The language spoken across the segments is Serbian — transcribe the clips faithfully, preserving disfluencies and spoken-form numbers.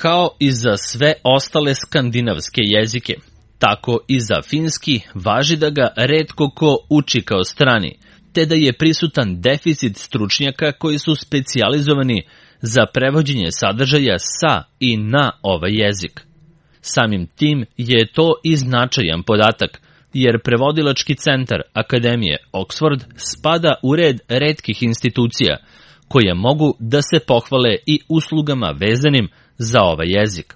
Kao i za sve ostale skandinavske jezike, tako i za finski važi da ga retko ko uči kao strani, te da je prisutan deficit stručnjaka koji su specijalizovani za prevođenje sadržaja sa i na ovaj jezik. Samim tim je to i značajan podatak, jer prevodilački centar Akademije Oxford spada u red retkih institucija koje mogu da se pohvale i uslugama vezanim za ovaj jezik.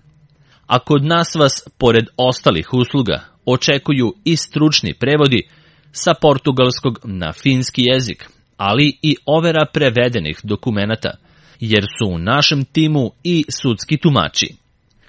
A kod nas vas, pored ostalih usluga, očekuju i stručni prevodi sa portugalskog na finski jezik, ali i overa prevedenih dokumenata, jer su u našem timu i sudski tumači.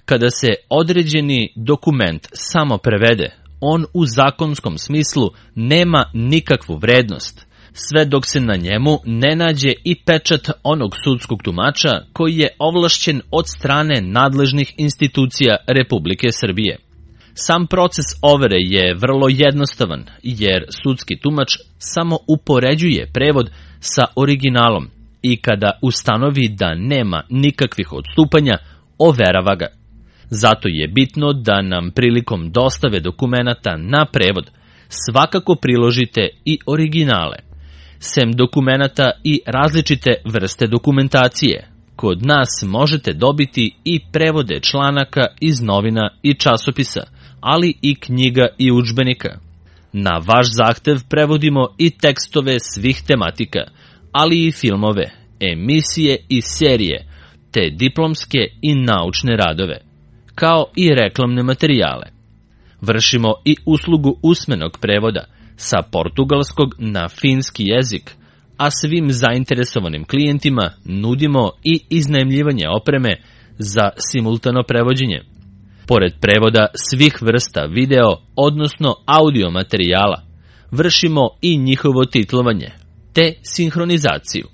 Kada se određeni dokument samo prevede, on u zakonskom smislu nema nikakvu vrednost, sve dok se na njemu ne nađe i pečat onog sudskog tumača koji je ovlašćen od strane nadležnih institucija Republike Srbije. Sam proces overe je vrlo jednostavan, jer sudski tumač samo upoređuje prevod sa originalom i kada ustanovi da nema nikakvih odstupanja, overava ga. Zato je bitno da nam prilikom dostave dokumenata na prevod svakako priložite i originale. Sem dokumenata i različite vrste dokumentacije, kod nas možete dobiti i prevode članaka iz novina i časopisa, ali i knjiga i udžbenika. Na vaš zahtev prevodimo i tekstove svih tematika, ali i filmove, emisije i serije, te diplomske i naučne radove, kao i reklamne materijale. Vršimo i uslugu usmenog prevoda sa portugalskog na finski jezik, a svim zainteresovanim klijentima nudimo i iznajmljivanje opreme za simultano prevođenje. Pored prevoda svih vrsta video, odnosno audio materijala, vršimo i njihovo titlovanje, te sinhronizaciju.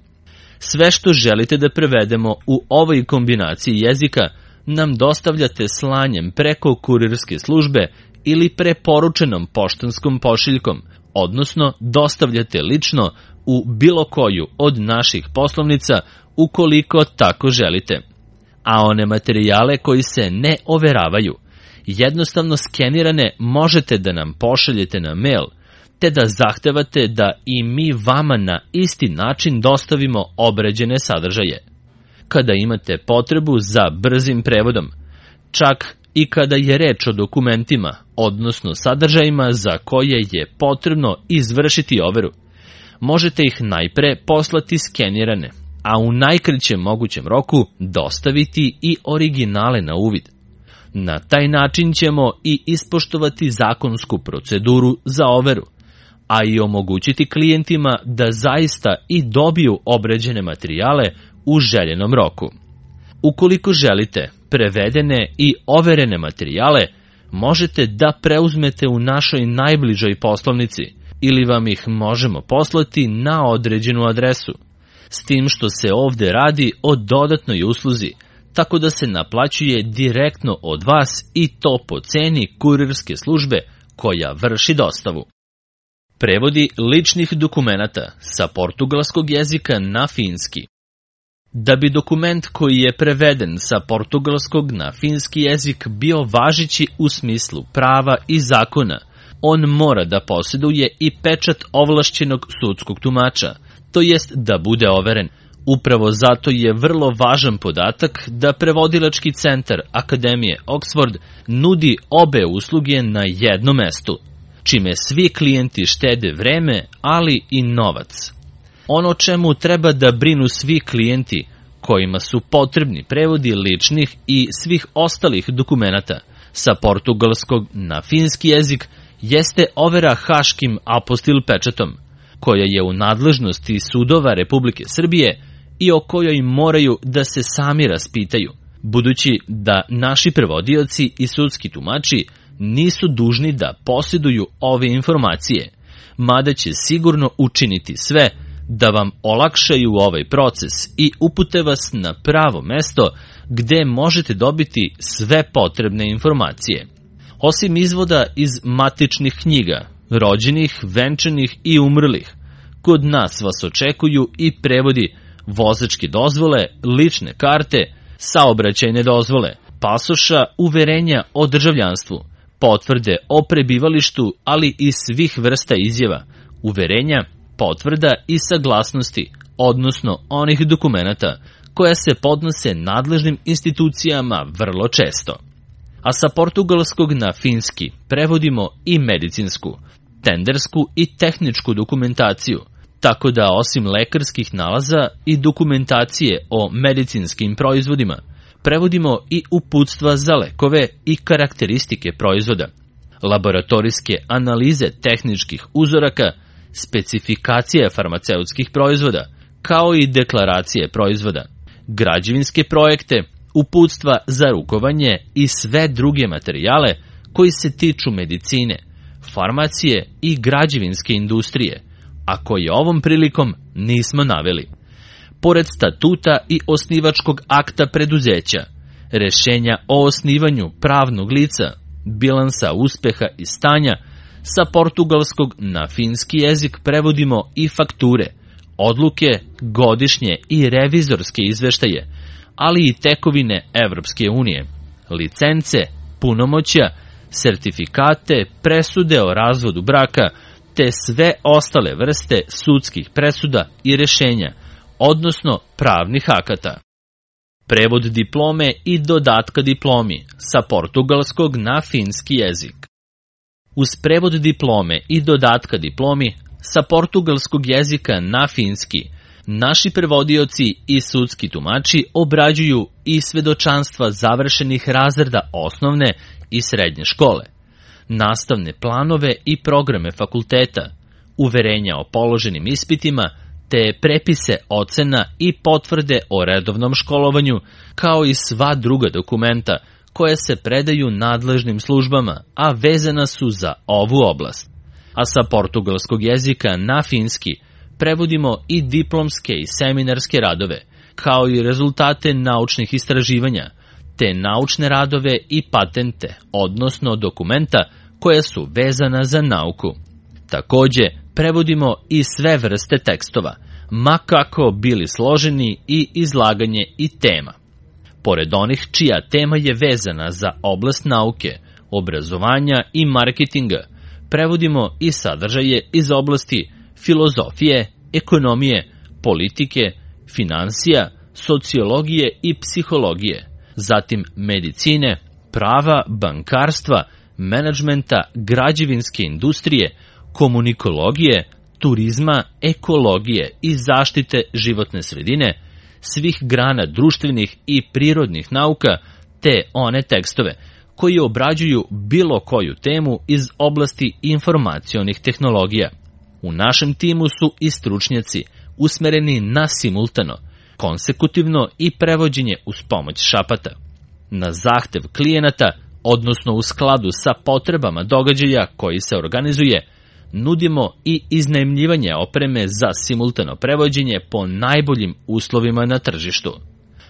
Sve što želite da prevedemo u ovoj kombinaciji jezika nam dostavljate slanjem preko kurirske službe ili preporučenom poštanskom pošiljkom, odnosno dostavljate lično u bilo koju od naših poslovnica ukoliko tako želite. A one materijale koji se ne overavaju, jednostavno skenirane, možete da nam pošaljete na mail, te da zahtevate da i mi vama na isti način dostavimo obrađene sadržaje. Kada imate potrebu za brzim prevodom, čak i kada je reč o dokumentima, odnosno sadržajima za koje je potrebno izvršiti overu, možete ih najpre poslati skenirane, a u najkraćem mogućem roku dostaviti i originale na uvid. Na taj način ćemo i ispoštovati zakonsku proceduru za overu, a i omogućiti klijentima da zaista i dobiju obrađene materijale u željenom roku. Ukoliko želite prevedene i overene materijale, možete da preuzmete u našoj najbližoj poslovnici ili vam ih možemo poslati na određenu adresu, s tim što se ovde radi o dodatnoj usluzi, tako da se naplaćuje direktno od vas i to po ceni kurirske službe koja vrši dostavu. Prevodi ličnih dokumenata sa portugalskog jezika na finski. Da bi dokument koji je preveden sa portugalskog na finski jezik bio važeći u smislu prava i zakona, on mora da posjeduje i pečat ovlašćenog sudskog tumača, to jest da bude overen. Upravo zato je vrlo važan podatak da prevodilački centar Akademije Oxford nudi obe usluge na jednom mestu, čime svi klijenti štede vreme, ali i novac. Ono čemu treba da brinu svi klijenti kojima su potrebni prevodi ličnih i svih ostalih dokumenata sa portugalskog na finski jezik jeste overa haškim apostil pečatom, koja je u nadležnosti sudova Republike Srbije i o kojoj moraju da se sami raspitaju, budući da naši prevodioci i sudski tumači nisu dužni da posjeduju ove informacije, mada će sigurno učiniti sve da vam olakšaju ovaj proces i upute vas na pravo mesto gde možete dobiti sve potrebne informacije. Osim izvoda iz matičnih knjiga, rođenih, venčanih i umrlih, kod nas vas očekuju i prevodi vozačke dozvole, lične karte, saobraćajne dozvole, pasoša, uverenja o državljanstvu, potvrde o prebivalištu, ali i svih vrsta izjava, uverenja, potvrda i saglasnosti, odnosno onih dokumenata koja se podnose nadležnim institucijama vrlo često. A sa portugalskog na finski prevodimo i medicinsku, tendersku i tehničku dokumentaciju, tako da osim lekarskih nalaza i dokumentacije o medicinskim proizvodima, prevodimo i uputstva za lekove i karakteristike proizvoda, laboratorijske analize tehničkih uzoraka, specifikacije farmaceutskih proizvoda, kao i deklaracije proizvoda, građevinske projekte, uputstva za rukovanje i sve druge materijale koji se tiču medicine, farmacije i građevinske industrije, a koje ovom prilikom nismo naveli. Pored statuta i osnivačkog akta preduzeća, rešenja o osnivanju pravnog lica, bilansa uspeha i stanja, sa portugalskog na finski jezik prevodimo i fakture, odluke, godišnje i revizorske izveštaje, ali i tekovine Evropske unije, licence, punomoćja, sertifikate, presude o razvodu braka, te sve ostale vrste sudskih presuda i rešenja, odnosno pravnih akata. Prevod diplome i dodatka diplomi sa portugalskog na finski jezik. Uz prevod diplome i dodatka diplomi sa portugalskog jezika na finski, naši prevodioci i sudski tumači obrađuju i svedočanstva završenih razreda osnovne i srednje škole, nastavne planove i programe fakulteta, uverenja o položenim ispitima, te prepise ocena i potvrde o redovnom školovanju, kao i sva druga dokumenta koje se predaju nadležnim službama, a vezana su za ovu oblast. A sa portugalskog jezika na finski prevodimo i diplomske i seminarske radove, kao i rezultate naučnih istraživanja, te naučne radove i patente, odnosno dokumenta koja su vezana za nauku. Takođe, prevodimo i sve vrste tekstova, ma kako bili složeni i izlaganje i tema. Pored onih čija tema je vezana za oblast nauke, obrazovanja i marketinga, prevodimo i sadržaje iz oblasti filozofije, ekonomije, politike, finansija, sociologije i psihologije, zatim medicine, prava, bankarstva, menadžmenta, građevinske industrije, komunikologije, turizma, ekologije i zaštite životne sredine, svih grana društvenih i prirodnih nauka, te one tekstove koji obrađuju bilo koju temu iz oblasti informacionih tehnologija. U našem timu su i stručnjaci usmereni na simultano, konsekutivno i prevođenje uz pomoć šapata. Na zahtev klijenata, odnosno u skladu sa potrebama događaja koji se organizuje, nudimo i iznajmljivanje opreme za simultano prevođenje po najboljim uslovima na tržištu.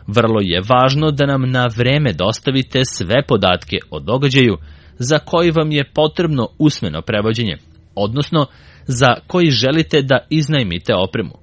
Vrlo je važno da nam na vreme dostavite sve podatke o događaju za koji vam je potrebno usmeno prevođenje, odnosno za koji želite da iznajmite opremu,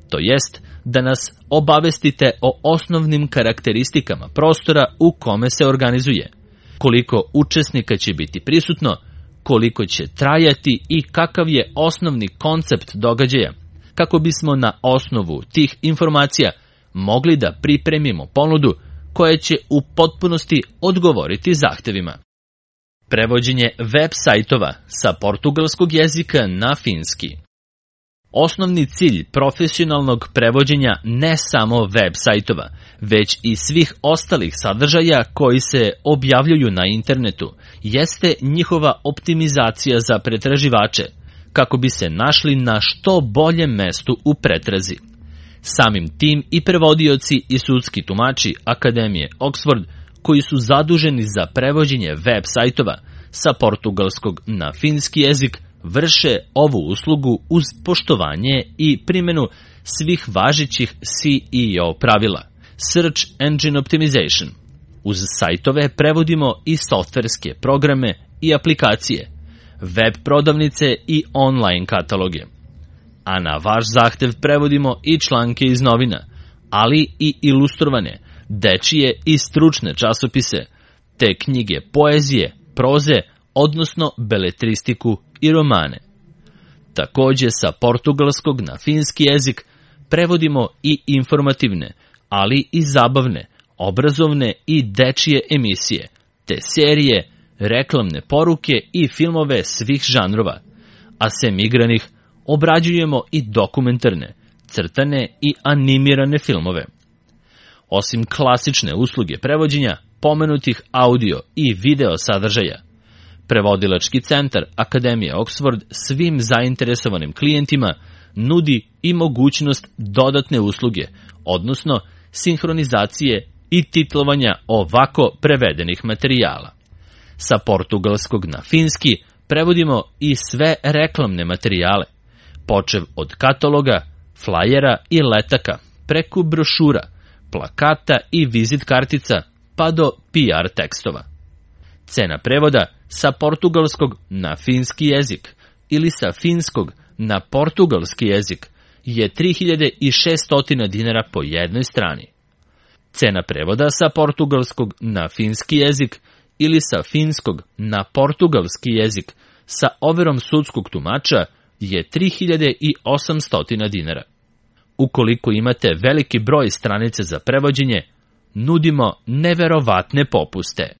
to jest da nas obavestite o osnovnim karakteristikama prostora u kome se organizuje, koliko učesnika će biti prisutno, koliko će trajati i kakav je osnovni koncept događaja, kako bismo na osnovu tih informacija mogli da pripremimo ponudu koja će u potpunosti odgovoriti zahtevima. Prevođenje web sajtova sa portugalskog jezika na finski. Osnovni cilj profesionalnog prevođenja ne samo web sajtova, već i svih ostalih sadržaja koji se objavljuju na internetu, jeste njihova optimizacija za pretraživače, kako bi se našli na što boljem mestu u pretrazi. Samim tim i prevodioci i sudski tumači Akademije Oxford, koji su zaduženi za prevođenje web sajtova sa portugalskog na finski jezik, vrše ovu uslugu uz poštovanje i primjenu svih važećih S E O pravila, Search Engine Optimization. Uz sajtove prevodimo i softverske programe i aplikacije, web prodavnice i online kataloge. A na vaš zahtev prevodimo i članke iz novina, ali i ilustrovane, dečije i stručne časopise, te knjige poezije, proze, odnosno beletristiku i romane. Takođe sa portugalskog na finski jezik prevodimo i informativne, ali i zabavne, obrazovne i dečije emisije, te serije, reklamne poruke i filmove svih žanrova, a sem igranih obrađujemo i dokumentarne, crtane i animirane filmove. Osim klasične usluge prevođenja, pomenutih audio i video sadržaja, Prevodilački centar Akademije Oxford svim zainteresovanim klijentima nudi i mogućnost dodatne usluge, odnosno sinhronizacije i titlovanja ovako prevedenih materijala. Sa portugalskog na finski prevodimo i sve reklamne materijale, počev od kataloga, flajera i letaka, preko brošura, plakata i vizit kartica, pa do P R tekstova. Cena prevoda sa portugalskog na finski jezik ili sa finskog na portugalski jezik je tri hiljade šesto dinara po jednoj strani. Cena prevoda sa portugalskog na finski jezik ili sa finskog na portugalski jezik sa overom sudskog tumača je tri hiljade osamsto dinara. Ukoliko imate veliki broj stranica za prevođenje, nudimo neverovatne popuste.